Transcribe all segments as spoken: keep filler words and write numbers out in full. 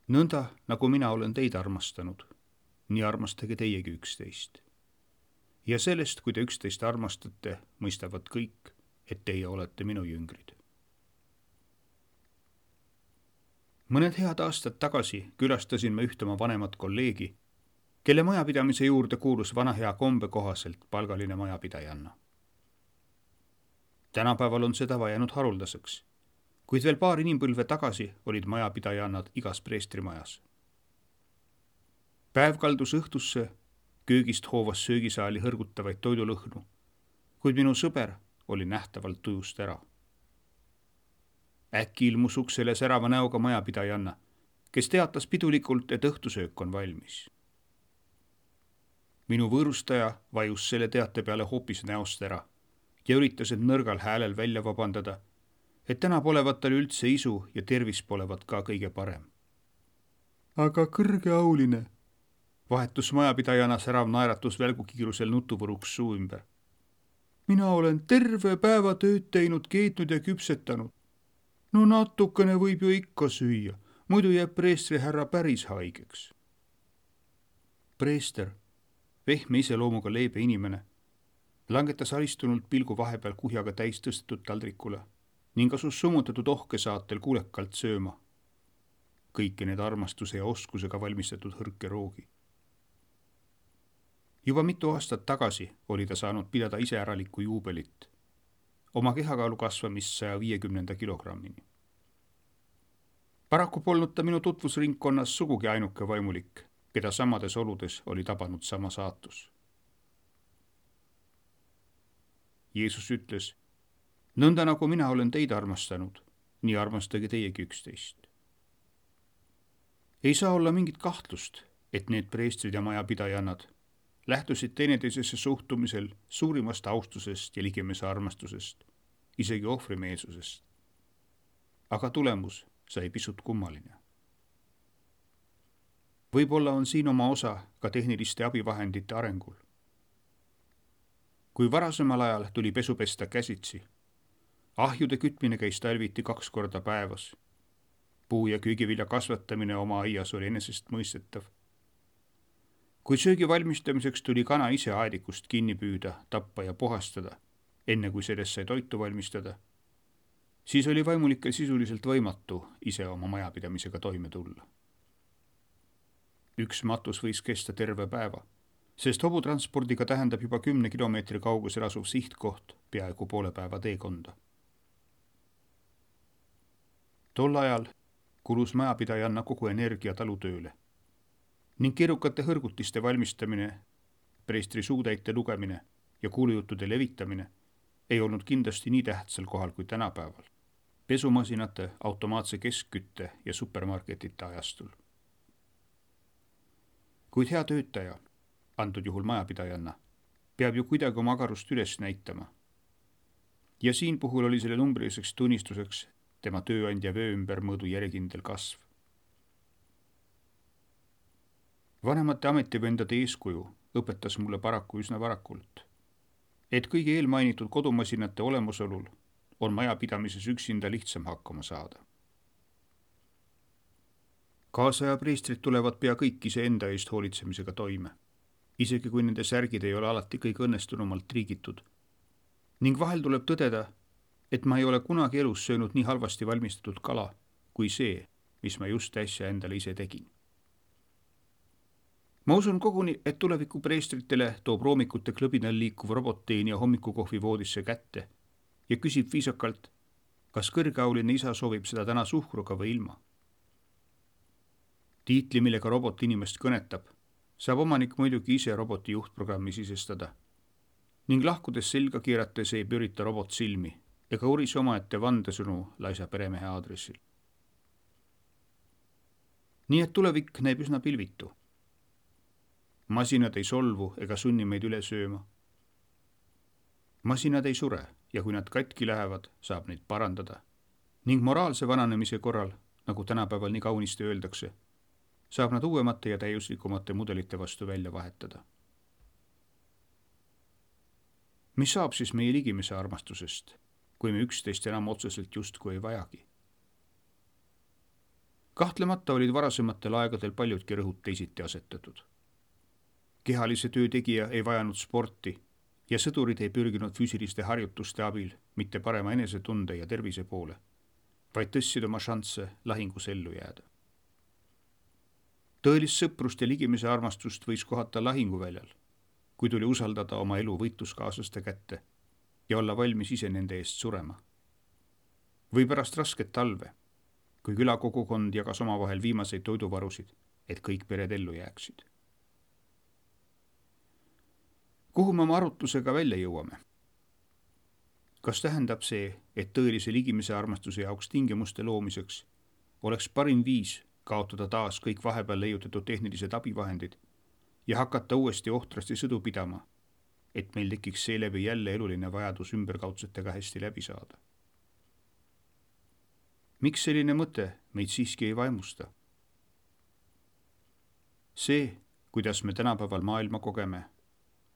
Nõnda, nagu mina olen teid armastanud, nii armastage teiegi üksteist. Ja sellest, kui te üksteist armastate, mõistavad kõik, et teie olete minu jüngrid. Mõned head aastad tagasi külastasin ma ühte oma vanemat kolleegi, kelle majapidamise juurde kuulus vana hea kombe kohaselt palgaline majapidajanna. Tänapäeval on see tava jäänud haruldaseks, kuid veel paar inimpõlve tagasi olid majapidajannad igas preestrimajas. Päev kaldus õhtusse, köögist hoovas söögisaali hõrgutavaid toidulõhnu, kuid minu sõber oli nähtavalt tujust ära. Äkki ilmus uksele särava näoga majapidajanna, kes teatas pidulikult, et õhtusöök on valmis. Minu võõrustaja vajus selle teate peale hoopis näost ära ja üritas end nõrgal häälel välja vabandada, et täna polevat tal üldse isu ja tervis polevat ka kõige parem. Aga kõrgeauline, vahetus majapidajana särav naeratus välgukiirusel nutuvõruks suu ümber. Mina olen terve päeva tööd teinud, keetnud ja küpsetanud. No natukene võib ju ikka süüa, muidu jääb preestri härra päris haigeks. Preester, vehme iseloomuga leebe inimene, langetas alistunult pilgu vahepeal kuhjaga täis tõstetud taldrikule ning asus summutatud ohke saatel kuulekalt sööma. Kõiki need armastuse ja oskusega valmistatud hõrke roogi. Juba mitu aastat tagasi oli ta saanud pidada iseäralikku juubelit, oma kehakaalu kasvamist saja viiekümnenda kilogrammini. Paraku polnud ta minu tutvusringkonnas sugugi ainuke vaimulik, keda samades oludes oli tabanud sama saatus. Jeesus ütles, nõnda nagu mina olen teid armastanud, nii armastage teiegi üksteist. Ei saa olla mingit kahtlust, et need preestrid ja majapidajannad lähtusid teineteisesse suhtumisel suurimast austusest ja ligimese armastusest, isegi ohvrimeelsusest. Aga tulemus sai pisut kummaline. Võib-olla on siin oma osa ka tehniliste abivahendite arengul. Kui varasemal ajal tuli pesu pesta käsitsi, ahjude kütmine käis talviti kaks korda päevas, puu- ja köögivilja kasvatamine oma aias oli enesest mõistetav. Kui söögi valmistamiseks tuli kana ise aedikust kinni püüda, tappa ja puhastada, enne kui sellest sai toitu valmistada, siis oli vaimulikel sisuliselt võimatu ise oma majapidamisega toime tulla. Üks matus võis kesta terve päeva, sest hobutranspordiga tähendab juba kümne kilomeetri kaugusel asuv sihtkoht peaaegu poole päeva teekonda. Tol ajal kulus majapidajanna kogu energia talutööle ning keerukate hõrgutiste valmistamine, preestri suutäite lugemine ja kuulujuttude levitamine ei olnud kindlasti nii tähtsal kohal kui tänapäeval, pesumasinate, automaatse keskkütte ja supermarketite ajastul. Kuid hea töötaja, antud juhul majapidajanna, peab ju kuidagi oma agarust üles näitama. Ja siin puhul oli selle numbriliseks tunnistuseks tema tööandja vöö ümber mõõdu järjekindel kasv. Vanemate ametivendade eeskuju õpetas mulle paraku üsna varakult, et kõigi eelmainitud kodumasinate olemusolul on majapidamises üksinda lihtsam hakkama saada. Kaasaja preestrid tulevad pea kõik iseenda eest hoolitsemisega toime, isegi kui nende särgid ei ole alati kõige õnnestunumalt triigitud. Ning vahel tuleb tõdeda, et ma ei ole kunagi elus söönud nii halvasti valmistatud kala kui see, mis ma just äsja endale ise tegin. Ma usun koguni, et tuleviku preestritele toob roomikute klõbinal liikuv robotteenija hommikukohvi voodisse kätte ja küsib viisakalt, kas kõrgeauline isa soovib seda täna suhkruga või ilma. Tiitli, millega robot inimest kõnetab, saab omanik muidugi ise roboti juhtprogrammi sisestada ning lahkudes selga keerates ei pürita robot silmi ega urise omaette vandesõnu laisa peremehe aadressil. Nii et tulevik näib üsna pilvitu. Masinad ei solvu ega sunni meid üle sööma. Masinad ei sure ja kui nad katki lähevad, saab neid parandada. Ning moraalse vananemise korral, nagu tänapäeval nii kaunisti öeldakse, saab nad uuemate ja täiuslikumate mudelite vastu välja vahetada. Mis saab siis meie ligimese armastusest, kui me üksteist enam otseselt justkui ei vajagi? kahtlemata olid varasematel aegadel paljudki rõhud teisiti asetatud. Kehalise töö tegija ei vajanud sporti ja sõdurid ei pürginud füüsiliste harjutuste abil mitte parema enesetunde ja tervise poole, vaid tõstsid oma šansse lahingus ellu jääda. Tõelist sõprust ja ligimise armastust võis kohata lahinguväljal, kui tuli usaldada oma elu võitluskaaslaste kätte ja olla valmis ise nende eest surema. Või pärast rasket talve, kui külakogukond jagas omavahel viimaseid toiduvarusid, et kõik pered ellu jääksid. Kuhu me oma arutlusega välja jõuame? Kas tähendab see, et tõelise ligimise armastuse jaoks tingimuste loomiseks oleks parim viis kaotada taas kõik vahepeal leiutatud tehnilised abivahendid ja hakata uuesti ohtrasti sõdu pidama, et meil tekiks seeläbi jälle eluline vajadus ümberkaudsetega hästi läbi saada? Miks selline mõte meid siiski ei vaimusta? See, kuidas me tänapäeval maailma kogeme,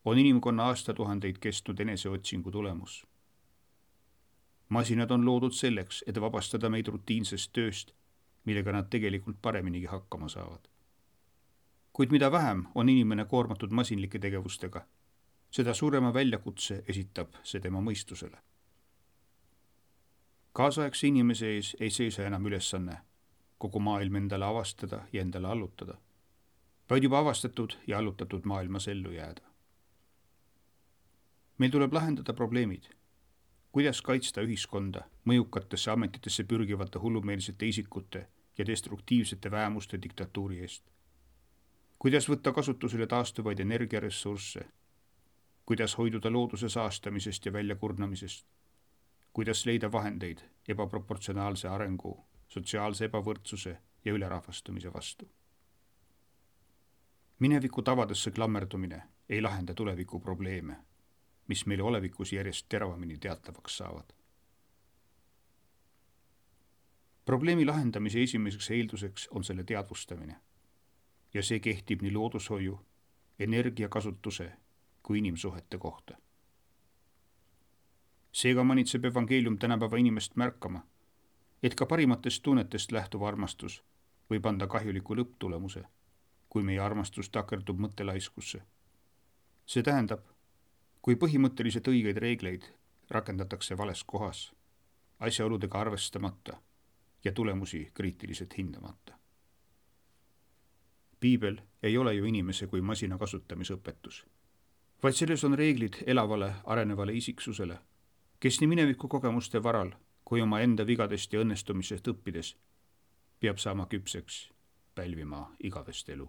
on inimkonna aastatuhandeid kestnud eneseotsingu tulemus. Masinad on loodud selleks, et vabastada meid rutiinsest tööst, millega nad tegelikult pareminigi hakkama saavad. Kuid mida vähem on inimene koormatud masinlike tegevustega, seda suurema väljakutse esitab see tema mõistusele. Kaasaegse inimese ees ei seisa enam ülesanne kogu maailm endale avastada ja endale allutada, vaid juba avastatud ja allutatud maailmas ellu jääda. Meil tuleb lahendada probleemid, kuidas kaitsta ühiskonda mõjukatesse ametitesse pürgivate hullumeelsete isikute ja destruktiivsete väemuste diktatuuri eest, kuidas võtta kasutusele taastuvaid energiaressursse, kuidas hoiduda looduse saastamisest ja väljakurnamisest, kuidas leida vahendeid ebaproportsionaalse arengu, sotsiaalse ebavõrdsuse ja ülerahvastumise vastu. Mineviku tavadesse klammerdumine ei lahenda tuleviku probleeme, mis meile olevikus järjest teravamini teatavaks saavad. Probleemi lahendamise esimeseks eelduseks on selle teadvustamine ja see kehtib nii loodushoiu, energiakasutuse kui inimsuhete kohta. Seega manitseb evangeelium tänapäeva inimest märkama, et ka parimatest tunnetest lähtuv armastus võib anda kahjuliku lõpptulemuse, kui meie armastus takerdub mõttelaiskusse. See tähendab, kui põhimõtteliselt õigeid reegleid rakendatakse vales kohas, asjaoludega arvestamata ja tulemusi kriitiliselt hindamata. Piibel ei ole ju inimese kui masina kasutamisõpetus, vaid selles on reeglid elavale, arenevale isiksusele, kes nii mineviku kogemuste varal kui oma enda vigadest ja õnnestumisest õppides peab saama küpseks pälvima igavest elu.